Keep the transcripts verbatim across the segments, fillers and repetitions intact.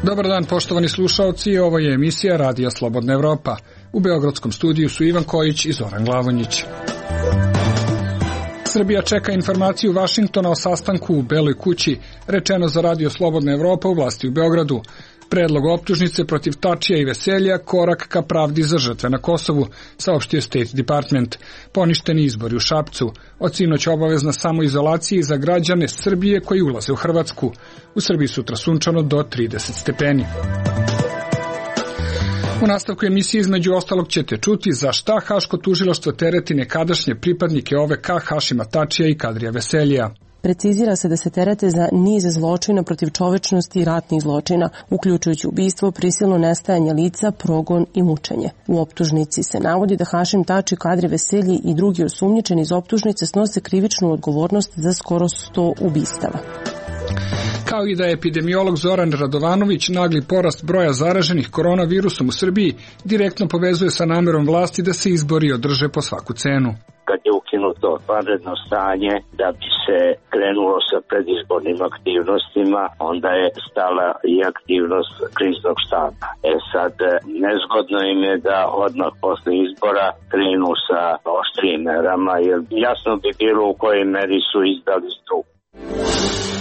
Dobar dan, poštovani slušaoci, ovo je emisija Radija Slobodna Evropa. U beogradskom studiju su Ivan Kojić i Zoran Glavonjić. Srbija čeka informaciju Vašingtona o sastanku u Beloj kući, rečeno za Radio Slobodna Evropa u vlasti u Beogradu. Predlog optužnice protiv Tačija i Veselja, korak ka pravdi za žrtve na Kosovu, saopštio State Department. Poništeni izbori u Šapcu. Od sinoć obavezna samoizolacija za građane Srbije koji ulaze u Hrvatsku. U Srbiji sutra sunčano do trideset stepeni. U nastavku emisije između ostalog ćete čuti za šta Haško tužilaštvo tereti nekadašnje pripadnike O V K Hašima Tačija i Kadrija Veseljija. Precizira se da se terete za niz zločina protiv čovečnosti i ratnih zločina, uključujući ubistvo, prisilno nestajanje lica, progon i mučenje. U optužnici se navodi da Hašim Tači, Kadri Veselji i drugi osumnjičeni iz optužnice snose krivičnu odgovornost za skoro sto ubistava. Kao i da je epidemiolog Zoran Radovanović nagli porast broja zaraženih koronavirusom u Srbiji direktno povezuje sa namerom vlasti da se izbori održe po svaku cenu. Kad je ukinuto vanredno stanje da bi se krenulo sa predizbornim aktivnostima, onda je stala i aktivnost kriznog štaba. E sad, nezgodno im je da odmah posle izbora krenu sa oštrijim merama, jer jasno bi bilo u kojoj meri su izdali struku.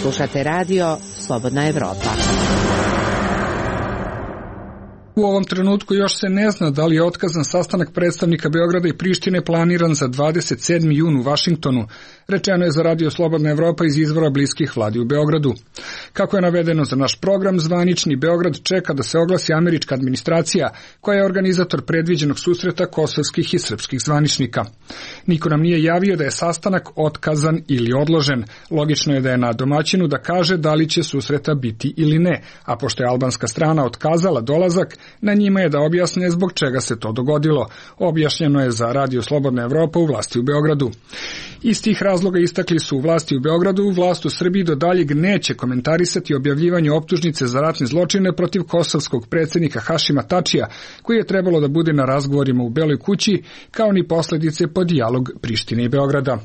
Slušate radio Slobodna Evropa. U ovom trenutku još se ne zna da li je otkazan sastanak predstavnika Beograda i Prištine planiran za dvadeset sedmi jun u Vašingtonu, rečeno je za Radio Slobodna Evropa iz izvora bliskih vladi u Beogradu. Kako je navedeno za naš program, zvanični Beograd čeka da se oglasi američka administracija, koja je organizator predviđenog susreta kosovskih i srpskih zvaničnika. Niko nam nije javio da je sastanak otkazan ili odložen. Logično je da je na domaćinu da kaže da li će susreta biti ili ne, a pošto je albanska strana otkazala dolazak, na njima je da objasne zbog čega se to dogodilo. Objašnjeno je za Radio Slobodna Evropa u vlasti u Beogradu. Iz tih razloga istakli su u vlasti u Beogradu, vlast u Srbiji do daljeg neće komentarisati objavljivanje optužnice za ratne zločine protiv kosovskog predsjednika Hašima Tačija, koji je trebalo da bude na razgovorima u Beloj kući, kao ni posledice po dijalog Prištine i Beograda.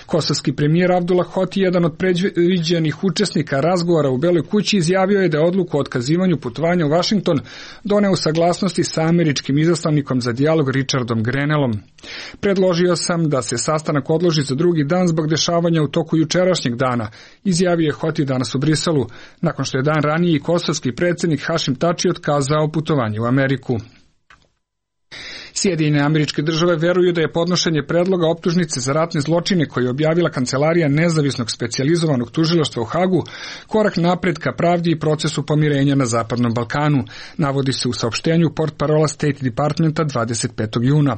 Kosovski premijer Abdullah Hoti, jedan od predviđenih učesnika razgovora u Beloj kući, izjavio je da je odluku o otkazivanju putovanja u Vašington doneo u saglasnosti sa američkim izaslanikom za dijalog Richardom Grenellom. Predložio sam da se sastanak odloži za drugi dan zbog dešavanja u toku jučerašnjeg dana, izjavio je Hoti danas u Briselu, nakon što je dan ranije i kosovski predsjednik Hašim Tači otkazao putovanje u Ameriku. Sjedinjene Američke Države veruju da je podnošenje predloga optužnice za ratne zločine koje je objavila Kancelarija nezavisnog specijalizovanog tužilaštva u Hagu korak napred ka pravdi i procesu pomirenja na Zapadnom Balkanu, navodi se u saopštenju portparola State Departmenta dvadeset petog juna.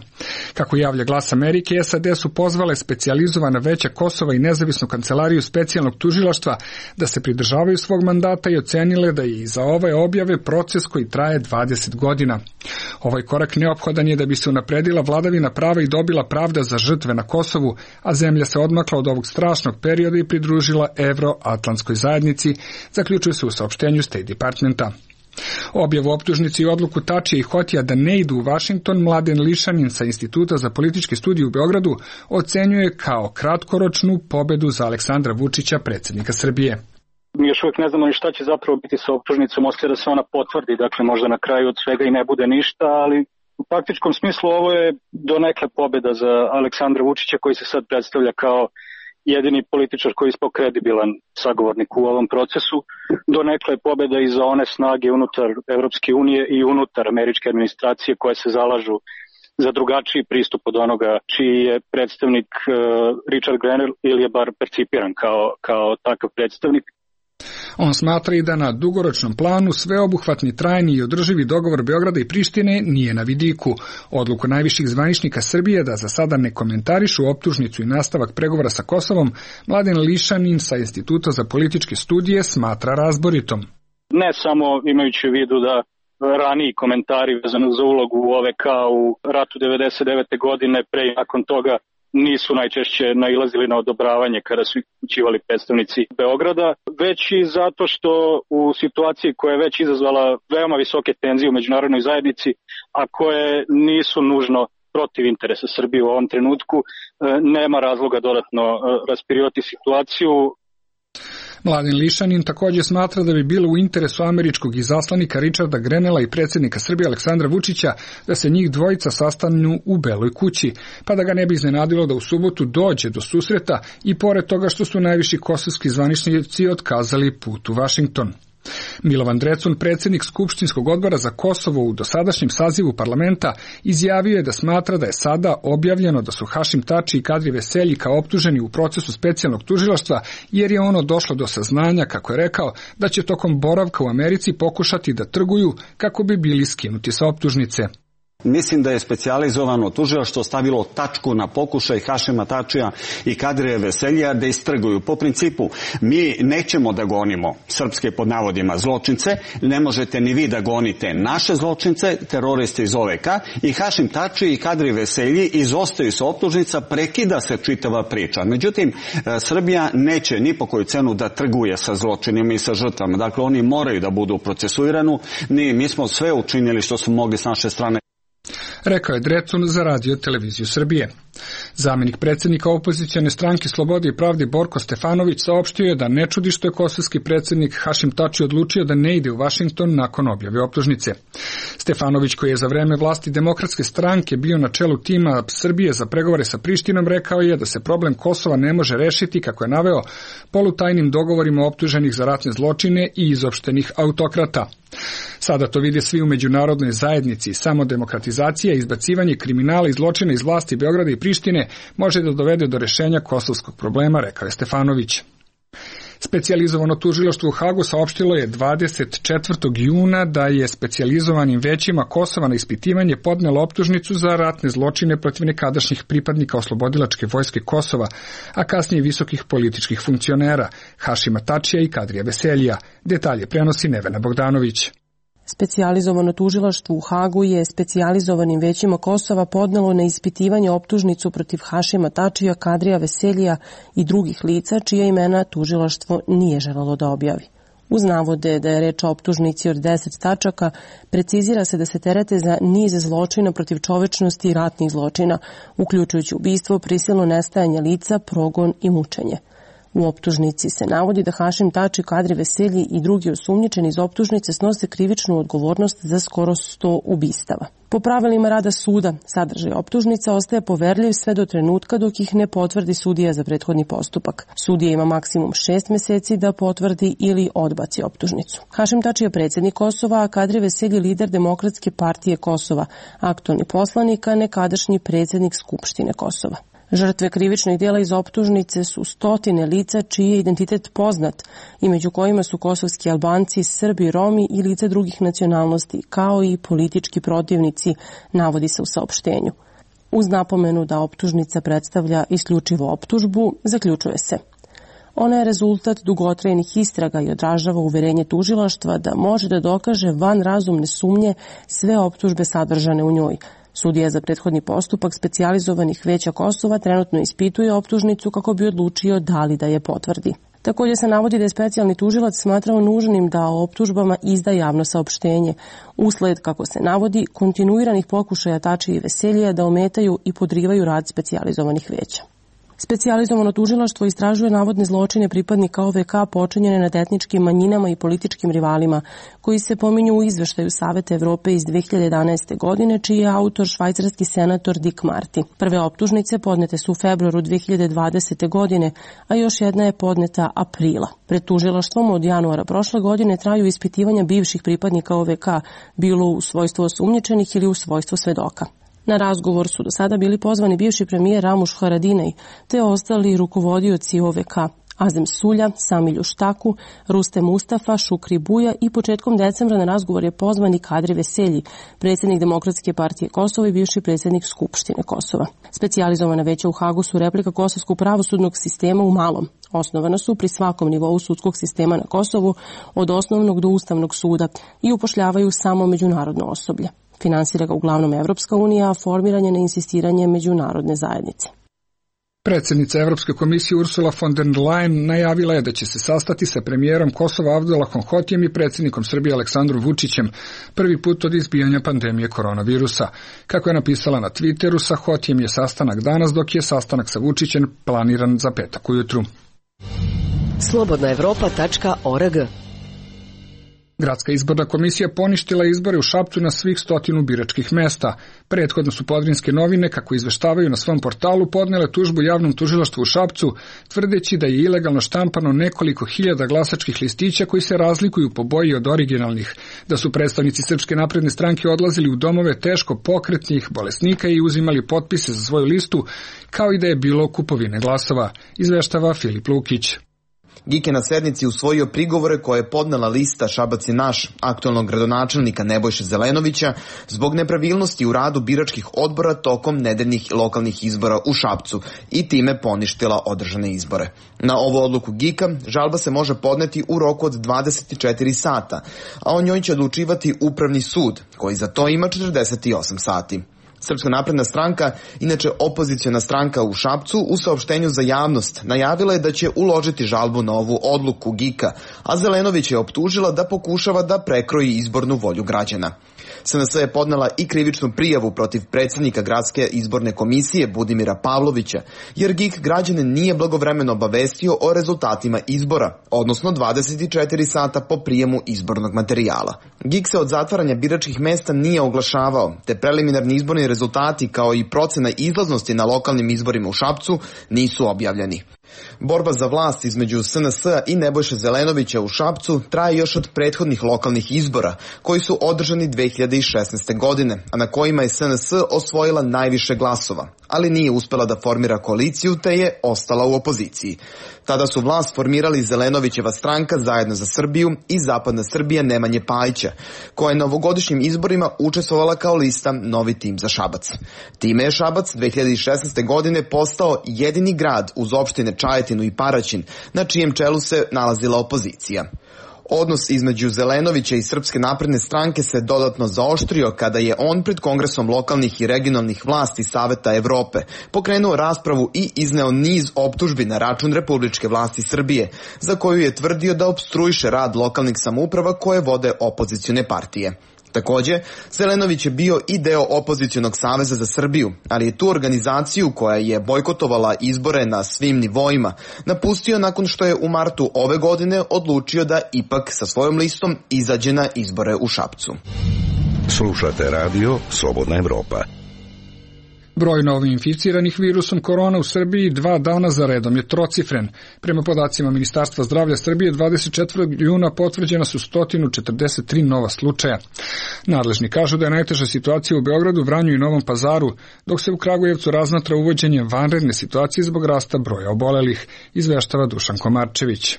Kako javlja Glas Amerike, S A D su pozvale specijalizovana veća Kosova i nezavisnu kancelariju specijalnog tužilaštva da se pridržavaju svog mandata i ocenile da je i za ove objave proces koji traje dvadeset godina. Ovaj korak neophodan je da bi se unapredila vladavina prava i dobila pravda za žrtve na Kosovu, a zemlja se odmakla od ovog strašnog perioda i pridružila Evroatlantskoj zajednici, zaključuje se u saopštenju State Departmenta. Objavu optužnici i odluku Tačija i Hotija da ne idu u Vašington Mladen Lišanin sa Instituta za političke studije u Beogradu ocenjuje kao kratkoročnu pobedu za Aleksandra Vučića, predsjednika Srbije. Mi još uvijek ne znamo ni šta će zapravo biti sa optužnicom, ostaje da se ona potvrdi, dakle možda na kraju od svega i ne bude ništa, ali u praktičkom smislu ovo je donekle pobjeda za Aleksandra Vučića koji se sad predstavlja kao jedini političar koji je ispao kredibilan sagovornik u ovom procesu. Donekle je pobjeda i za one snage unutar Evropske unije i unutar američke administracije koje se zalažu za drugačiji pristup od onoga čiji je predstavnik uh, Richard Grenell ili je bar percipiran kao, kao takav predstavnik. On smatra i da na dugoročnom planu sveobuhvatni, trajni i održivi dogovor Beograda i Prištine nije na vidiku. Odluku najviših zvaničnika Srbije da za sada ne komentarišu optužnicu i nastavak pregovora sa Kosovom, Mladen Lišanin sa Instituta za političke studije smatra razboritom. Ne samo imajući u vidu da raniji komentari vezano za ulogu U O V K u ratu devedeset devete godine, pre i nakon toga nisu najčešće nailazili na odobravanje kada su upućivali predstavnici Beograda, već i zato što u situaciji koja je već izazvala veoma visoke tenzije u međunarodnoj zajednici, a koje nisu nužno protiv interesa Srbije u ovom trenutku, nema razloga dodatno raspirivati situaciju. Mladen Lišanin također smatra da bi bilo u interesu američkog izaslanika Richarda Grenella i predsjednika Srbije Aleksandra Vučića da se njih dvojica sastanu u Beloj kući, pa da ga ne bi iznenadilo da u subotu dođe do susreta i pored toga što su najviši kosovski zvaničnici otkazali put u Vašington. Milovan Drecun, predsjednik Skupštinskog odbora za Kosovo u dosadašnjem sazivu parlamenta, izjavio je da smatra da je sada objavljeno da su Hašim Tači i Kadri Veselji kao optuženi u procesu specijalnog tužilaštva, jer je ono došlo do saznanja, kako je rekao, da će tokom boravka u Americi pokušati da trguju kako bi bili skinuti sa optužnice. Mislim da je specijalizovano tužilaštvo stavilo tačku na pokušaj Hašima Tačija i Kadrija Veseljija da istrguju. Po principu, mi nećemo da gonimo srpske pod navodima zločince, ne možete ni vi da gonite naše zločince, teroriste iz O V K, i Hašim Tači i Kadri Veselji izostaju sa optužnica, prekida se čitava priča. Međutim, Srbija neće ni po koju cenu da trguje sa zločinima i sa žrtvama. Dakle, oni moraju da budu procesuirani. Mi smo sve učinili što smo mogli s naše strane. Rekao je Drecun za Radio televiziju Srbije. Zamjenik predsjednika opozicione stranke Slobode i pravde Borko Stefanović saopštio je da ne čudi što je kosovski predsjednik Hašim Tači odlučio da ne ide u Vašington nakon objave optužnice. Stefanović, koji je za vreme vlasti Demokratske stranke bio na čelu tima Srbije za pregovore sa Prištinom, rekao je da se problem Kosova ne može rešiti, kako je naveo, polutajnim dogovorima optuženih za ratne zločine i izopštenih autokrata. Sada to vide svi u međunarodnoj zajednici. Samo demokratizacija i izbacivanje kriminala i zločina iz vlasti Beograda i Prištine može da dovede do rešenja kosovskog problema, rekao je Stefanović. Specijalizovano tužilaštvo u Hagu saopštilo je dvadeset četvrtog juna da je specijalizovanim većima Kosova na ispitivanje podnelo optužnicu za ratne zločine protiv nekadašnjih pripadnika oslobodilačke vojske Kosova, a kasnije visokih političkih funkcionera Hašima Tačija i Kadrija Veseljija. Detalje prenosi Nevena Bogdanović. Specijalizovano tužilaštvo u Hagu je specijalizovanim većima Kosova podnelo na ispitivanje optužnicu protiv Hašima Tačija, Kadrija Veseljija i drugih lica čija imena tužilaštvo nije želelo da objavi. Uz navode da je reč o optužnici od deset tačaka, precizira se da se terete za niz zločina protiv čovečnosti i ratnih zločina, uključujući ubistvo, prisilno nestajanje lica, progon i mučenje. U optužnici se navodi da Hašim Tači, Kadri Veselji i drugi osumnjičeni iz optužnice snose krivičnu odgovornost za skoro sto ubistava. Po pravilima rada suda, sadržaj optužnica ostaje poverljiv sve do trenutka dok ih ne potvrdi sudija za prethodni postupak. Sudija ima maksimum šest meseci da potvrdi ili odbaci optužnicu. Hašim Tači je predsjednik Kosova, a Kadri Veselji lider Demokratske partije Kosova, aktualni poslanik, a nekadašnji predsjednik Skupštine Kosova. Žrtve krivičnih djela iz optužnice su stotine lica čiji je identitet poznat i među kojima su kosovski Albanci, Srbi, Romi i lica drugih nacionalnosti, kao i politički protivnici, navodi se u saopštenju. Uz napomenu da optužnica predstavlja isključivo optužbu, zaključuje se: ona je rezultat dugotrajnih istraga i odražava uverenje tužilaštva da može da dokaže van razumne sumnje sve optužbe sadržane u njoj. Sudija za prethodni postupak specijalizovanih veća Kosova trenutno ispituje optužnicu kako bi odlučio da li da je potvrdi. Također se navodi da je specijalni tužilac smatrao nužnim da o optužbama izda javno saopštenje, usled, kako se navodi, kontinuiranih pokušaja Tači i Veseljija da ometaju i podrivaju rad specijalizovanih veća. Specijalizovano tužilaštvo istražuje navodne zločine pripadnika O V K počinjene nad etničkim manjinama i političkim rivalima, koji se pominju u izveštaju Saveta Evrope iz dve hiljade jedanaeste. godine, čiji je autor švajcarski senator Dick Marty. Prve optužnice podnete su u februaru dve hiljade dvadesete. godine, a još jedna je podneta aprila. Pred tužilaštvom od januara prošle godine traju ispitivanja bivših pripadnika O V K, bilo u svojstvu osumnjičenih ili u svojstvu svedoka. Na razgovor su do sada bili pozvani bivši premijer Ramuš Haradinaj, te ostali rukovodioci O V K, Azem Sulja, Samilju Štaku, Rustem Mustafa, Šukri Buja i početkom decembra na razgovor je pozvan i Kadri Veselji, predsjednik Demokratske partije Kosova i bivši predsjednik Skupštine Kosova. Specijalizovana veća u Hagu su replika kosovskog pravosudnog sistema u malom. Osnovana su pri svakom nivou sudskog sistema na Kosovu, od osnovnog do Ustavnog suda, i upošljavaju samo međunarodno osoblje. Finansira ga uglavnom Evropska unija, a formiran je na insistiranje međunarodne zajednice. Predsjednica Evropske komisije Ursula von der Leyen najavila je da će se sastati sa premijerom Kosova Abdulahom Hotijem i predsjednikom Srbije Aleksandrom Vučićem prvi put od izbijanja pandemije koronavirusa. Kako je napisala na Twitteru, sa Hotijem je sastanak danas, dok je sastanak sa Vučićem planiran za petak ujutru. slobodna evropa tačka org. Gradska izborna komisija poništila izbore u Šapcu na svih stotinu biračkih mesta. Prethodno su Podrinjske novine, kako izveštavaju na svom portalu, podnele tužbu javnom tužilaštvu u Šapcu, tvrdeći da je ilegalno štampano nekoliko hiljada glasačkih listića koji se razlikuju po boji od originalnih, da su predstavnici Srpske napredne stranke odlazili u domove teško pokretnih bolesnika i uzimali potpise za svoju listu, kao i da je bilo kupovine glasova, izveštava Filip Lukić. G I K je na sednici usvojio prigovore koje je podnela lista Šabac je naš, aktualnog gradonačelnika Nebojše Zelenovića, zbog nepravilnosti u radu biračkih odbora tokom nedeljnih lokalnih izbora u Šapcu i time poništila održane izbore. Na ovu odluku G I K-a žalba se može podneti u roku od dvadeset četiri sata, a o njoj će odlučivati Upravni sud, koji za to ima četrdeset osam sati. Srpska napredna stranka, inače opoziciona stranka u Šapcu, u saopštenju za javnost najavila je da će uložiti žalbu na ovu odluku G I K-a, a Zelenović je optužila da pokušava da prekroji izbornu volju građana. S N S je podnela i krivičnu prijavu protiv predsjednika Gradske izborne komisije Budimira Pavlovića, jer G I K građane nije blagovremeno obavestio o rezultatima izbora, odnosno dvadeset četiri sata po prijemu izbornog materijala. G I K se od zatvaranja biračkih mesta nije oglašavao, te preliminarni izborni rezultati kao i procena izlaznosti na lokalnim izborima u Šapcu nisu objavljeni. Borba za vlast između S N S-a i Nebojše Zelenovića u Šapcu traje još od prethodnih lokalnih izbora, koji su održani dve hiljade šesnaeste. godine, a na kojima je S N S osvojila najviše glasova, ali nije uspela da formira koaliciju te je ostala u opoziciji. Tada su vlast formirali Zelenovićeva stranka Zajedno za Srbiju i Zapadna Srbija Nemanje Pajića, koja je na ovogodišnjim izborima učestvovala kao lista Novi tim za Šabac. Time je Šabac dve hiljade šesnaeste. godine postao jedini grad uz opštine Čajetinu i Paraćin, na čijem čelu se nalazila opozicija. Odnos između Zelenovića i Srpske napredne stranke se dodatno zaoštrio kada je on pred Kongresom lokalnih i regionalnih vlasti Saveta Evrope pokrenuo raspravu i izneo niz optužbi na račun republičke vlasti Srbije, za koju je tvrdio da opstruiše rad lokalnih samouprava koje vode opozicione partije. Takođe, Zelenović je bio i deo opozicionog saveza za Srbiju, ali je tu organizaciju koja je bojkotovala izbore na svim nivoima napustio nakon što je u martu ove godine odlučio da ipak sa svojom listom izađe na izbore u Šapcu. Slušate radio Slobodna Evropa. Broj novoinficiranih virusom korona u Srbiji dva dana za redom je trocifren. Prema podacima Ministarstva zdravlja Srbije, dvadeset četvrtog juna potvrđena su sto četrdeset tri nova slučaja. Nadležni kažu da je najteža situacija u Beogradu, Vranju i Novom Pazaru, dok se u Kragujevcu razmatra uvođenje vanredne situacije zbog rasta broja obolelih, izveštava Dušan Komarčević.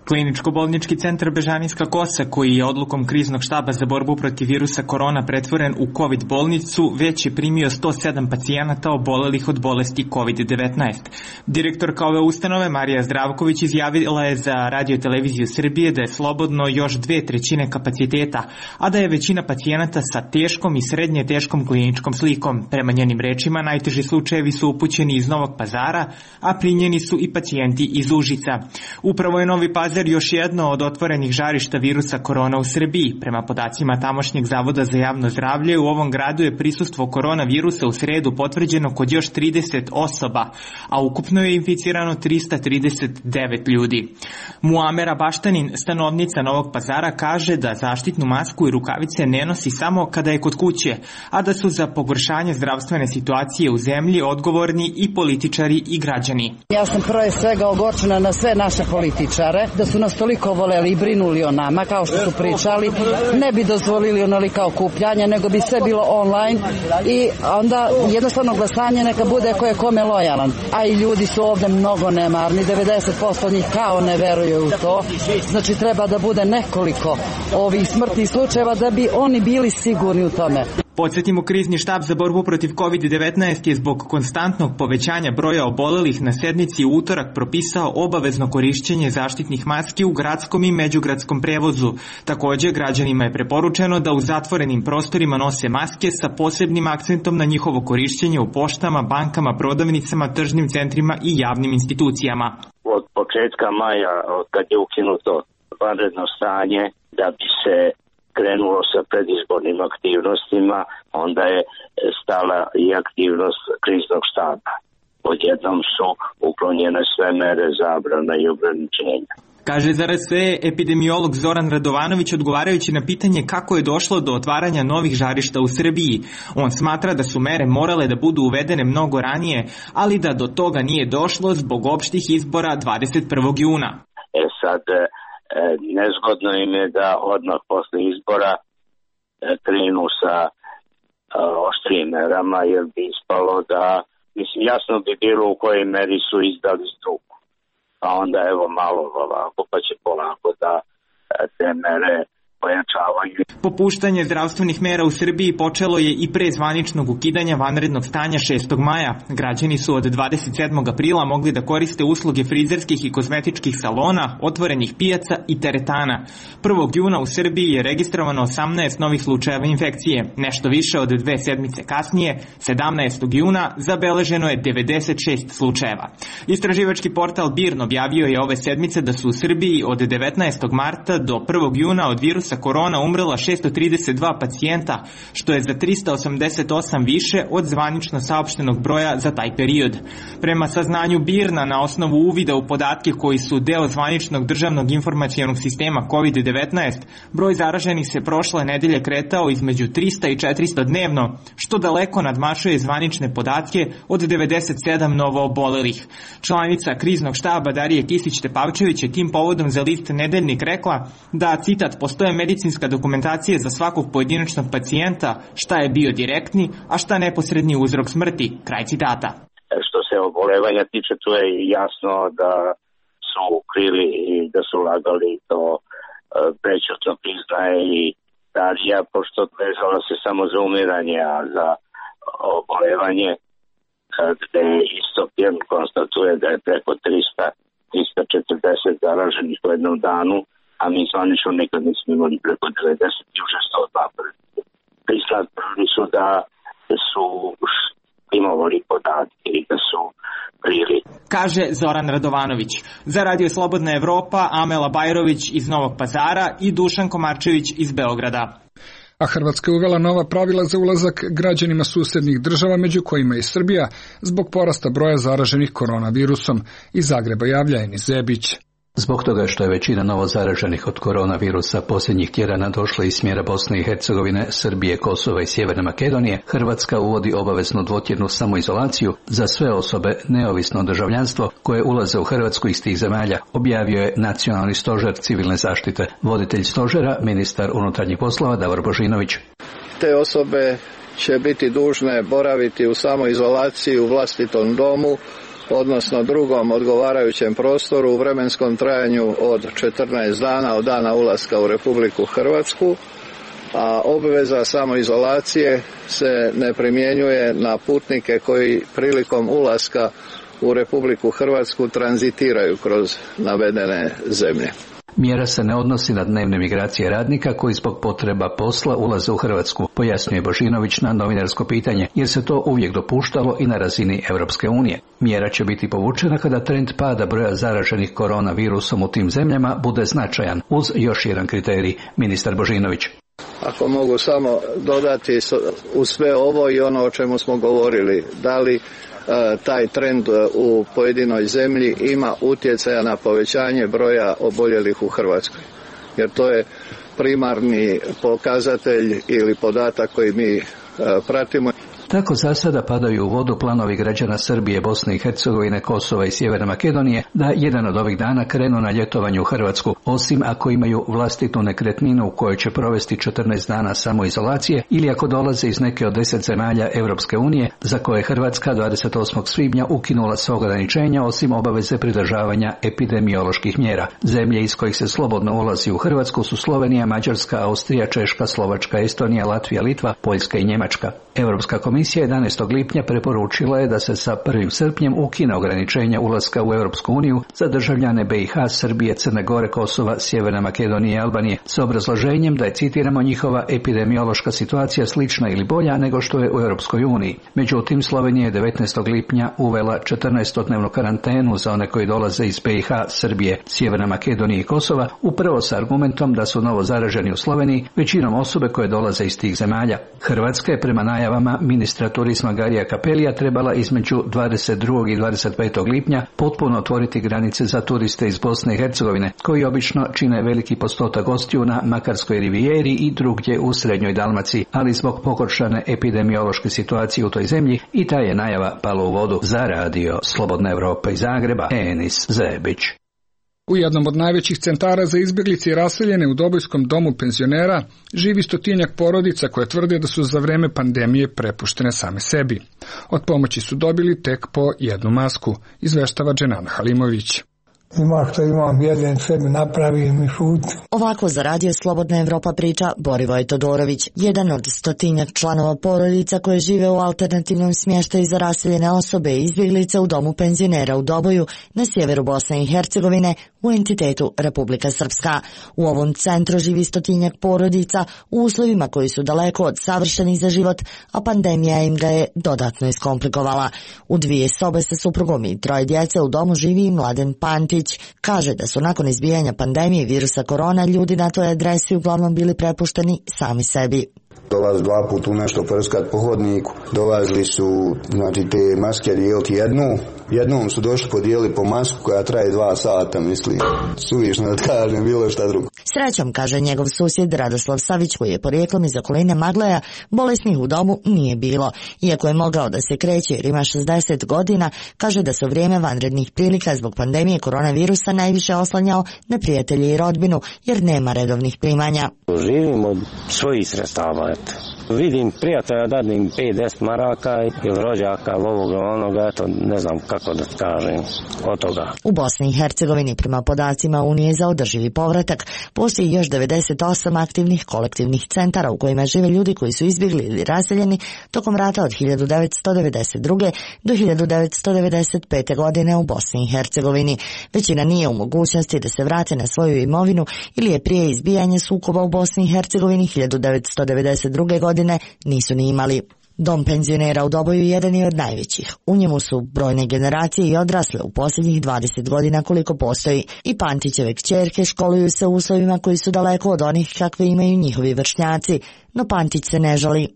Kliničko-bolnički centar Bežanijska Kosa, koji je odlukom kriznog štaba za borbu protiv virusa korona pretvoren u COVID bolnicu, već je primio sto sedam pacijenata obolelih od bolesti kovid devetnaest. Direktorka ove ustanove, Marija Zdravković, izjavila je za Radio televiziju Srbije da je slobodno još dve trećine kapaciteta, a da je većina pacijenata sa teškom i srednje teškom kliničkom slikom. Prema njenim rečima, najteži slučajevi su upućeni iz Novog Pazara, a primljeni su i pacijenti iz Užica. Upravo je Novi Pazar još jedno od otvorenih žarišta virusa korona u Srbiji. Prema podacima tamošnjeg Zavoda za javno zdravlje, u ovom gradu je prisustvo koronavirusa u sredu potvrđeno kod još trideset osoba, a ukupno je inficirano trista trideset devet ljudi. Muamera Baštanin, stanovnica Novog Pazara, kaže da zaštitnu masku i rukavice ne nosi samo kada je kod kuće, a da su za pogoršanje zdravstvene situacije u zemlji odgovorni i političari i građani. Ja sam prvo svega ogorčena na sve naše političare, da su nas toliko voleli i brinuli o nama, kao što su pričali, ne bi dozvolili onolika okupljanja, nego bi sve bilo online i onda jednostavno glasanje neka bude ko je kome lojalan. A i ljudi su ovde mnogo nemarni, devedeset posto njih kao ne veruju u to. Znači treba da bude nekoliko ovih smrtnih slučajeva da bi oni bili sigurni u tome. Podsjetimo, krizni štab za borbu protiv kovid devetnaest je zbog konstantnog povećanja broja obolelih na sednici u utorak propisao obavezno korišćenje zaštitnih maski u gradskom i međugradskom prevozu. Takođe, građanima je preporučeno da u zatvorenim prostorima nose maske sa posebnim akcentom na njihovo korišćenje u poštama, bankama, prodavnicama, tržnim centrima i javnim institucijama. Od početka maja, od kad je ukinuto vanredno stanje, da bi se krenulo sa predizbornim aktivnostima, onda je stala i aktivnost kriznog štaba. Odjednom su uklonjene sve mere zabrana i ograničenja. Kaže za R S E epidemiolog Zoran Radovanović odgovarajući na pitanje kako je došlo do otvaranja novih žarišta u Srbiji. On smatra da su mere morale da budu uvedene mnogo ranije, ali da do toga nije došlo zbog opštih izbora dvadeset prvog juna. E sad, nezgodno im je da odmah posle izbora krenu sa oštrijim merama, jer bi ispalo da, mislim, jasno bi bilo u kojoj meri su izdali struku. Pa onda evo malo ovako, pa će polako da te mere pojačavaju. Popuštanje zdravstvenih mera u Srbiji počelo je i pre zvaničnog ukidanja vanrednog stanja šestog maja. Građani su od dvadeset sedmog aprila mogli da koriste usluge frizerskih i kozmetičkih salona, otvorenih pijaca i teretana. prvog juna u Srbiji je registrovano osamnaest novih slučajeva infekcije. Nešto više od dve sedmice kasnije, sedamnaestog juna, zabeleženo je devedeset šest slučajeva. Istraživački portal BIRN objavio je ove sedmice da su u Srbiji od devetnaestog marta do prvog juna od virusa korona umrela šesto trideset dva pacijenta, što je za trista osamdeset osam više od zvanično saopštenog broja za taj period. Prema saznanju BIRN-a, na osnovu uvida u podatke koji su deo zvaničnog državnog informacionog sistema kovid devetnaest, broj zaraženih se prošle nedelje kretao između trista i četiristo dnevno, što daleko nadmašuje zvanične podatke od devedeset sedam novo obolelih. Članica kriznog štaba Darija Kisić-Tepavčević je tim povodom za list Nedeljnik rekla da, citat, postoje medicinska dokumentacija za svakog pojedinačnog pacijenta, šta je bio direktni, a šta neposredni uzrok smrti, kraj citata. Što se obolevanja tiče, tu je jasno da su krili i da su lagali, to prećutno priznaje i Darija, pošto vezala se samo za umiranje, a za obolevanje, gde Istopijan konstatuje da je preko trista, trista četrdeset zaraženih u jednom danu, a mi zvanično nikad nismo imali preko devedeset i už sto dva. Priznali su da su imovali podatke i da su krili. Kaže Zoran Radovanović. Za Radio Slobodna Evropa, Amela Bajrović iz Novog Pazara i Dušan Komarčević iz Beograda. A Hrvatska je uvela nova pravila za ulazak građanima susednih država, među kojima i Srbija, zbog porasta broja zaraženih koronavirusom. Iz Zagreba javlja Enis Zebić. Zbog toga što je većina novo zaraženih od koronavirusa posljednjih tjedana došla iz smjera Bosne i Hercegovine, Srbije, Kosova i Sjeverne Makedonije, Hrvatska uvodi obaveznu dvotjednu samoizolaciju za sve osobe, neovisno o državljanstvo, koje ulaze u Hrvatsku iz tih zemalja, objavio je Nacionalni stožer civilne zaštite. Voditelj stožera, ministar unutarnjih poslova Davor Božinović. Te osobe će biti dužne boraviti u samoizolaciji u vlastitom domu, odnosno drugom odgovarajućem prostoru u vremenskom trajanju od četrnaest dana od dana ulaska u Republiku Hrvatsku, a obveza samoizolacije se ne primjenjuje na putnike koji prilikom ulaska u Republiku Hrvatsku tranzitiraju kroz navedene zemlje. Mjera se ne odnosi na dnevne migracije radnika koji zbog potreba posla ulaze u Hrvatsku, pojasnjuje Božinović na novinarsko pitanje, jer se to uvijek dopuštalo i na razini Europske unije. Mjera će biti povučena kada trend pada broja zaraženih koronavirusom u tim zemljama bude značajan, uz još jedan kriterij, ministar Božinović. Ako mogu samo dodati u sve ovo i ono o čemu smo govorili, da li taj trend u pojedinoj zemlji ima utjecaja na povećanje broja oboljelih u Hrvatskoj. Jer to je primarni pokazatelj ili podatak koji mi pratimo. Tako za sada padaju u vodu planovi građana Srbije, Bosne i Hercegovine, Kosova i Sjeverne Makedonije da jedan od ovih dana krenu na ljetovanje u Hrvatsku, osim ako imaju vlastitu nekretninu u kojoj će provesti četrnaest dana samoizolacije ili ako dolaze iz neke od deset zemalja Europske unije za koje je Hrvatska dvadeset osmog svibnja ukinula sva ograničenja osim obaveze pridržavanja epidemioloških mjera. Zemlje iz kojih se slobodno ulazi u Hrvatsku su Slovenija, Mađarska, Austrija, Češka, Slovačka, Estonija, Latvija, Litva, Poljska i Njemačka. Europska komisija jedanaestog lipnja preporučila je da se sa prvim srpnjem ukine ograničenja ulaska u Europsku uniju za državljane B i H, Srbije, Crne Gore, Kosova, Sjeverne Makedonije i Albanije s obrazloženjem da je, citiramo, njihova epidemiološka situacija slična ili bolja nego što je u Europskoj uniji. Međutim, Slovenija je devetnaestog lipnja uvela četrnaestodnevnu karantenu za one koji dolaze iz B i H, Srbije, Sjeverne Makedonije i Kosova, upravo sa argumentom da su novo zaraženi u Sloveniji većinom osobe koje dolaze iz tih zemalja. Hrvatska je prema najavama ministra turizma Garija Capellija trebala između dvadeset drugog i dvadeset petog lipnja potpuno otvoriti granice za turiste iz Bosne i Hercegovine, koji obično čine veliki postotak gostiju na Makarskoj rivijeri i drugdje u srednjoj Dalmaciji, ali zbog pogoršane epidemiološke situacije u toj zemlji i ta je najava pala u vodu. Za radio Slobodna Evropa iz Zagreba, Enis Zebić. U jednom od najvećih centara za izbjeglice i raseljene u Dobojskom domu penzionera živi stotinjak porodica koje tvrde da su za vreme pandemije prepuštene same sebi. Od pomoći su dobili tek po jednu masku, izveštava Dženana Halimović. Ima što imam, jedem sebi napravim i šut. Ovako za radio Slobodna Evropa priča Borivoj Todorović, jedan od stotinjak članova porodica koje žive u alternativnom smještaju za raseljene osobe i izbjeglice u domu penzionera u Doboju na sjeveru Bosne i Hercegovine u entitetu Republika Srpska. U ovom centru živi stotinjak porodica u uslovima koji su daleko od savršenih za život, a pandemija im ga je dodatno iskomplikovala. U dvije sobe sa suprugom i troje djece u domu živi i Mladen Pantić. Kaže da su nakon izbijanja pandemije virusa korona ljudi na toj adresi uglavnom bili prepušteni sami sebi. Dolazi dva puta u nešto prskat po hodniku, dolazili su, znači, te maske dijeliti jednu, jednom su došli podijeli po masku koja traje dva sata, mislim, suvišno da kažem bilo šta drugo. Srećom, kaže njegov susjed Radoslav Savić, koji je porijeklom iz okoline Magleja, bolesnih u domu nije bilo. Iako je mogao da se kreće jer ima šezdeset godina, kaže da su vrijeme vanrednih prilika zbog pandemije koronavirusa najviše oslanjao na prijatelje i rodbinu, jer nema redovnih primanja. Živim od svojih sredstava, eto. Vidim prijatelja, dadim pet deset maraka ili rođaka, ovoga, onoga, eto, ne znam kako da kažem od toga. U Bosni i Hercegovini, prema podacima Unije za održivi povratak, postoji još devedeset osam aktivnih kolektivnih centara u kojima žive ljudi koji su izbjegli ili raseljeni tokom rata od hiljadu devetsto devedeset druge. do hiljadu devetsto devedeset pete. godine u Bosni i Hercegovini. Većina nije u mogućnosti da se vrate na svoju imovinu ili je prije izbijanja sukoba u Bosni i Hercegovini hiljadu devetsto devedeset druge. godine nisu ni imali. Dom penzionera u Doboju jedan je od najvećih. U njemu su brojne generacije i odrasle u posljednjih dvadeset godina koliko postoji. I Pantićeve kćerke školuju se u uslovima koji su daleko od onih kakve imaju njihovi vršnjaci, no Pantić se ne žali.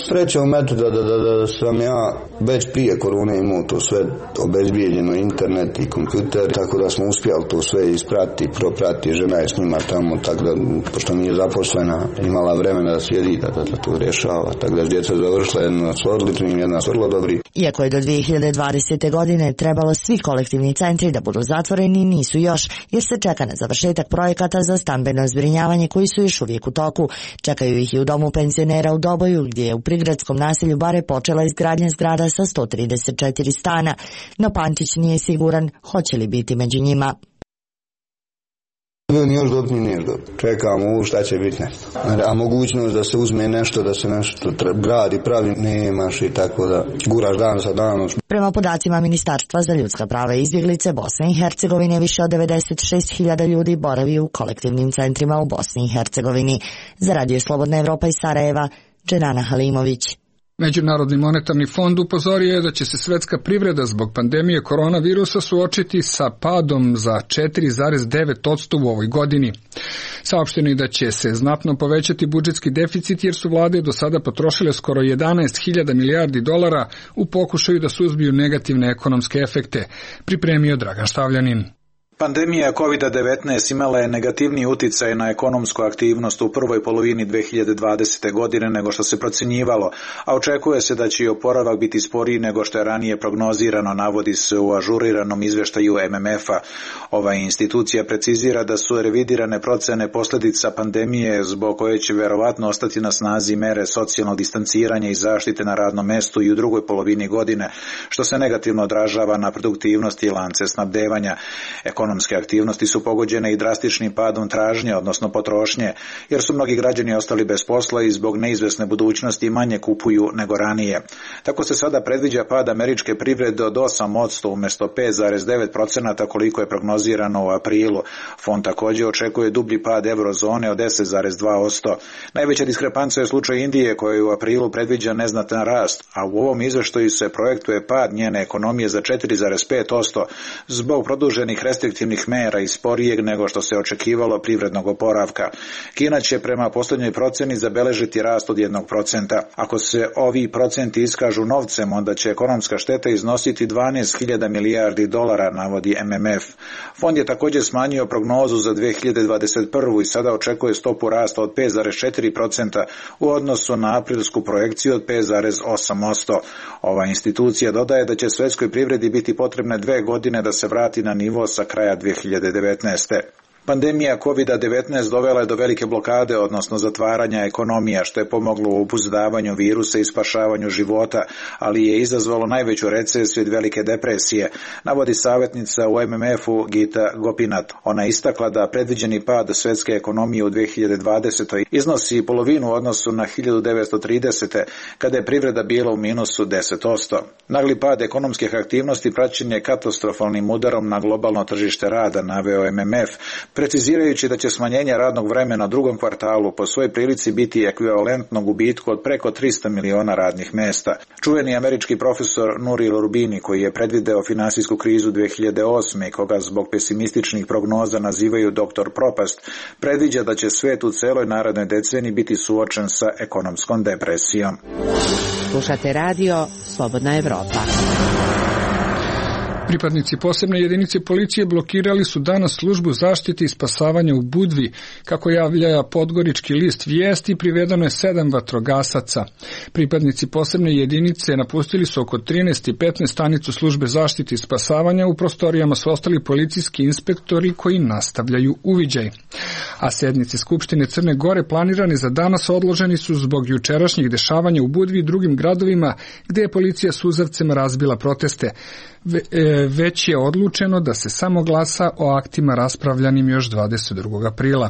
Srećom eto da, da, da, da sam ja već prije korone imao to sve obezbijeđeno, internet i kompjuter, tako da smo uspjeli to sve isprati, proprati, žena je s njima tamo, tako da, pošto nije zaposlena, imala vremena da sjedi, da, da, da to rješava, tako da djeca završila, jedna su odličnim, jedna su vrlo dobri. Iako je do dvije hiljade dvadesete. godine trebalo svi kolektivni centri da budu zatvoreni, nisu još, jer se čeka na završetak projekata za stambeno zbrinjavanje koji su još uvijek u toku. Čekaju ih i u domu penzionera u Doboju, gdje je u prigradskom naselju Bare počela izgradnja zgrada sa sto trideset četiri stana, no Pantić nije siguran hoće li biti među njima. Ni još dobiti, ni još dobiti. Čekamo u šta će biti nešto. A mogućnost da se uzme nešto, da se nešto gradi, pravi, nemaš i tako da guraš dan za danom. Prema podacima Ministarstva za ljudska prava i izbjeglice Bosne i Hercegovine, više od devedeset šest hiljada ljudi boravi u kolektivnim centrima u Bosni i Hercegovini. Za radio Slobodna Evropa iz Sarajeva, Dženana Halimović. Međunarodni monetarni fond upozorio je da će se svetska privreda zbog pandemije koronavirusa suočiti sa padom za četiri zarez devet posto u ovoj godini. Saopšteno je da će se znatno povećati budžetski deficit jer su vlade do sada potrošile skoro jedanaest hiljada milijardi dolara u pokušaju da suzbiju negativne ekonomske efekte, pripremio Dragan Štavljanin. Pandemija kovid devetnaest imala je negativniji uticaj na ekonomsku aktivnost u prvoj polovini dve hiljade dvadesete. godine nego što se procjenjivalo, a očekuje se da će i oporavak biti sporiji nego što je ranije prognozirano, navodi se u ažuriranom izveštaju M M F-a. Ova institucija precizira da su revidirane procene posljedica pandemije zbog koje će verovatno ostati na snazi mere socijalnog distanciranja i zaštite na radnom mestu i u drugoj polovini godine, što se negativno odražava na produktivnost i lance snabdevanja. Ekonomske aktivnosti su pogođene i drastičnim padom tražnje, odnosno potrošnje, jer su mnogi građani ostali bez posla i zbog neizvesne budućnosti manje kupuju nego ranije. Tako se sada predviđa pad američke privrede od osam posto umjesto pet zarez devet posto koliko je prognozirano u aprilu. Fond također očekuje dublji pad eurozone od deset zarez dva posto. Najveća diskrepanca je slučaj Indije koja u aprilu predviđa neznatan rast, a u ovom izveštaju se projektuje pad njene ekonomije za četiri zarez pet posto zbog produženih restriktivnih mera i sporijeg nego što se očekivalo privrednog oporavka. Kina će prema posljednjoj proceni zabeležiti rast od jednog procenta. Ako se ovi procenti iskažu novcem, onda će ekonomska šteta iznositi dvanaest hiljada milijardi dolara, navodi M M F. Fond je također smanjio prognozu za dve hiljade dvadeset prvu. i sada očekuje stopu rasta od pet zarez četiri posto u odnosu na aprilsku projekciju od pet zarez osam posto. Ova institucija dodaje da će svjetskoj privredi biti potrebne dve godine da se vrati na nivo sa kraja dve hiljade devetnaeste. Pandemija kovid devetnaest dovela je do velike blokade, odnosno zatvaranja ekonomija, što je pomoglo u obuzdavanju virusa i spašavanju života, ali je izazvalo najveću recesiju od velike depresije, navodi savjetnica u M M F-u Gita Gopinath. Ona je istakla da predviđeni pad svjetske ekonomije u dve hiljade dvadesetoj. iznosi polovinu u odnosu na hiljadu devetsto tridesete. kada je privreda bila u minusu deset posto. Nagli pad ekonomskih aktivnosti praćen je katastrofalnim udarom na globalno tržište rada, naveo M M F, precizirajući da će smanjenje radnog vremena u drugom kvartalu po svojoj prilici biti ekvivalentno gubitku od preko trista miliona radnih mesta. Čuveni američki profesor Nouriel Roubini, koji je predvideo finansijsku krizu dve hiljade osme. i koga zbog pesimističnih prognoza nazivaju doktor propast, predviđa da će svet u celoj narednoj deceniji biti suočen sa ekonomskom depresijom. Slušate radio Slobodna Evropa. Pripadnici posebne jedinice policije blokirali su danas službu zaštite i spasavanja u Budvi. Kako javlja Podgorički list Vijesti, privedeno je sedam vatrogasaca. Pripadnici posebne jedinice napustili su oko trinaest i petnaest stanicu službe zaštite i spasavanja. U prostorijama su ostali policijski inspektori koji nastavljaju uviđaj. A sednice Skupštine Crne Gore planirane za danas odloženi su zbog jučerašnjih dešavanja u Budvi i drugim gradovima gde je policija suzavcem razbila proteste. Već je odlučeno da se samo glasa o aktima raspravljanim još dvadeset drugog aprila.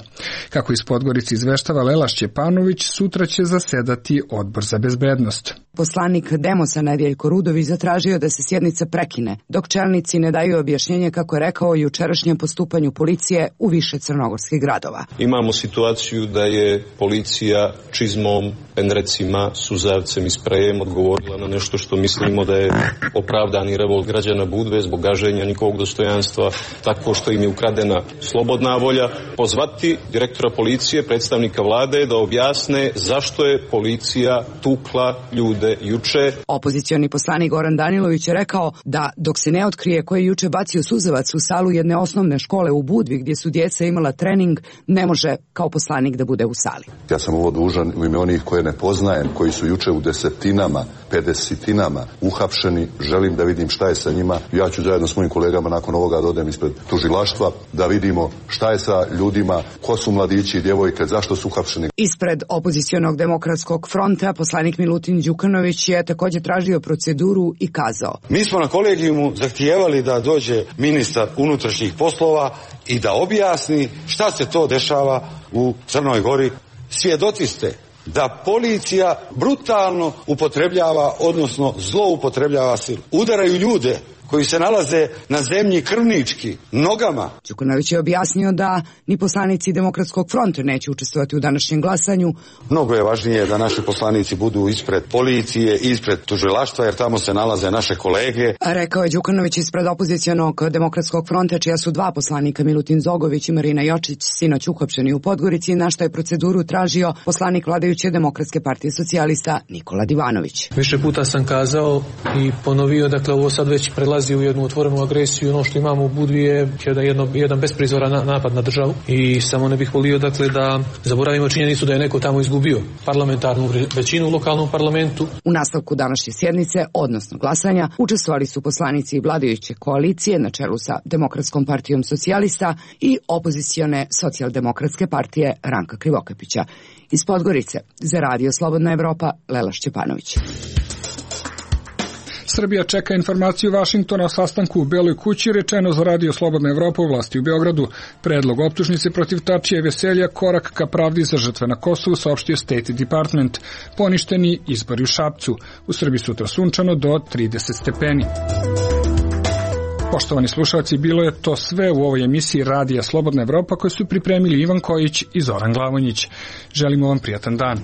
Kako iz Podgorice izveštava Lela Šćepanović, sutra će zasedati Odbor za bezbednost. Poslanik Demosa Nedjeljko Rudović zatražio da se sjednica prekine, dok čelnici ne daju objašnjenje, kako je rekao, o jučerašnjem postupanju policije u više crnogorskih gradova. Imamo situaciju da je policija čizmom, penrecima, suzavcem i sprejem odgovorila na nešto što mislimo da je opravdani revolt građana Budve zbog gaženja njihovog dostojanstva, tako što im je ukradena slobodna volja. Pozvati direktora policije, predstavnika vlade da objasne zašto je policija tukla ljude juče. Opozicioni poslanik Goran Danilović je rekao da dok se ne otkrije ko je juče bacio suzavac u salu jedne osnovne škole u Budvi gdje su djeca imala trening, ne može kao poslanik da bude u sali. Ja sam ovo dužan u ime onih koje ne poznajem, koji su juče u desetinama, pedesetinama uhapšeni. Želim da vidim šta je sa njima. Ja ću zajedno s mojim kolegama nakon ovoga da odem ispred tužilaštva da vidimo šta je sa ljudima, ko su mladići i djevojke, zašto su uhapšeni. Ispred opozicionog demokratskog fronta poslanik Milutin Đukanović je također tražio proceduru i kazao: Mi smo na kolegijumu zahtijevali da dođe ministar unutrašnjih poslova i da objasni šta se to dešava u Crnoj Gori. Svjedoci ste da policija brutalno upotrebljava, odnosno zloupotrebljava silu. Udaraju ljude koji se nalaze na zemlji krvnički, nogama. Đukanović je objasnio da ni poslanici Demokratskog fronta neće učestvovati u današnjem glasanju. Mnogo je važnije da naši poslanici budu ispred policije, ispred tužilaštva, jer tamo se nalaze naše kolege. Rekao je Đukanović ispred opozicionog Demokratskog fronta, čija su dva poslanika, Milutin Zogović i Marina Jočić, sinoć uhapšeni u Podgorici, na što je proceduru tražio poslanik vladajuće Demokratske partije socijalista Nikola Divanović. Više puta sam kazao i ponovio, dakle ovo sad već prelazi prelazi u jednu otvorenu agresiju. Ono što imamo u Budvi je jedno, jedan besprizoran napad na državu i samo ne bih volio dakle da zaboravimo činjenicu da je neko tamo izgubio parlamentarnu većinu u lokalnom parlamentu. U nastavku današnje sjednice, odnosno glasanja, učestvovali su poslanici vladajuće koalicije na čelu sa Demokratskom partijom socijalista i opozicione socijaldemokratske partije Ranka Krivokapića. Iz Podgorice, za Radio Slobodna Evropa, Lela Šćepanović. Srbija čeka informaciju Vašingtona o sastanku u Beloj kući, rečeno za Radio Slobodna Evropa u vlasti u Beogradu. Predlog optužnice protiv Tačija i Veselja korak ka pravdi za žrtve na Kosovu, saopštio State Department. Poništeni izbori u Šapcu. U Srbiji sutra sunčano do trideset stepeni. Poštovani slušalci, bilo je to sve u ovoj emisiji Radija Slobodna Evropa koju su pripremili Ivan Kojić i Zoran Glavonjić. Želimo vam prijatan dan.